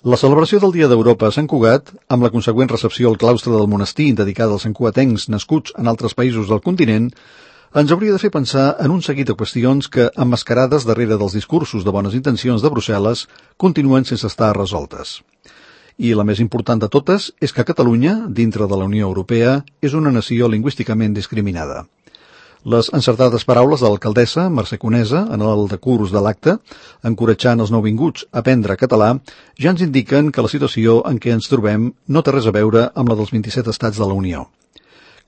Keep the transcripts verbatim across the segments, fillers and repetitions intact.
La celebració del Dia d'Europa a Sant Cugat, amb la consegüent recepció al claustre del monestir dedicada als santcugatencs nascuts en altres països del continent, ens hauria de fer pensar en un seguit de qüestions que, emmascarades darrere dels discursos de bones intencions de Brussel·les, continuen sense estar resoltes. I la més important de totes és que Catalunya, dintre de la Unió Europea, és una nació lingüísticament discriminada. Les encertades paraules de l'alcaldessa Mercè Conesa en el decurs de l'acte, encoratjant els nouvinguts a aprendre català, ja ens indiquen que la situació en què ens trobem no té res a veure amb la dels vint-i-set estats de la Unió.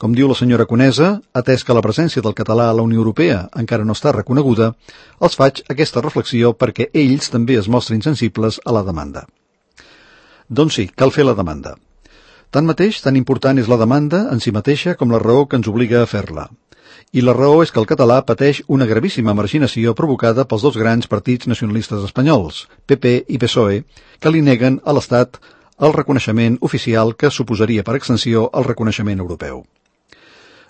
Com diu la senyora Conesa, atès que la presència del català a la Unió Europea encara no està reconeguda, els faig aquesta reflexió perquè ells també es mostrin sensibles a la demanda. Doncs sí, cal fer la demanda. Tanmateix, tan important és la demanda en si mateixa com la raó que ens obliga a fer-la. I la raó és que el català pateix una gravíssima marginació provocada pels dos grans partits nacionalistes espanyols, P P i P S O E, que li neguen a l'Estat el reconeixement oficial que suposaria per extensió el reconeixement europeu.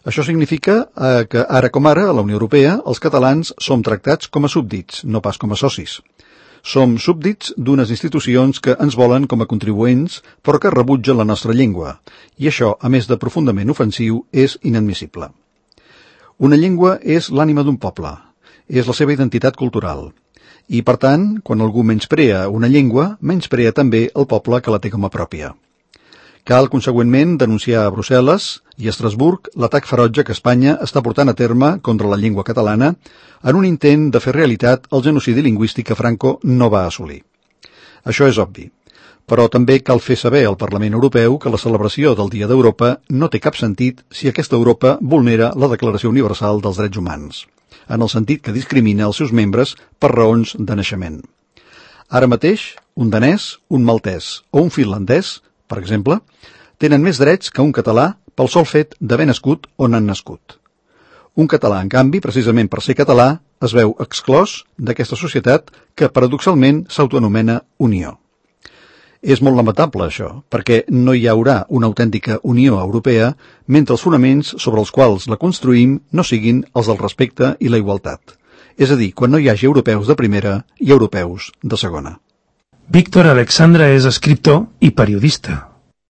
Això significa eh, que ara com ara, a la Unió Europea, els catalans som tractats com a súbdits, no pas com a socis. Som súbdits d'unes institucions que ens volen com a contribuents, però que rebutgen la nostra llengua, i això, a més de profundament ofensiu, és inadmissible. Una llengua és l'ànima d'un poble, és la seva identitat cultural. I, per tant, quan algú menysprea una llengua, menysprea també el poble que la té com a pròpia. Cal, consegüentment, denunciar a Brussel·les i a Estrasburg l'atac ferotge que Espanya està portant a terme contra la llengua catalana en un intent de fer realitat el genocidi lingüístic que Franco no va assolir. Això és obvi. Però també cal fer saber al Parlament Europeu que la celebració del Dia d'Europa no té cap sentit si aquesta Europa vulnera la Declaració Universal dels Drets Humans, en el sentit que discrimina els seus membres per raons de naixement. Ara mateix, un danès, un maltès o un finlandès, per exemple, tenen més drets que un català pel sol fet d'haver nascut on han nascut. Un català, en canvi, precisament per ser català, es veu exclòs d'aquesta societat que, paradoxalment, s'autoanomena Unió. És molt lamentable això, perquè no hi haurà una autèntica Unió Europea mentre els fonaments sobre els quals la construïm no siguin els del respecte i la igualtat. És a dir, quan no hi hagi europeus de primera i europeus de segona. Víctor Alexandra és escriptor i periodista.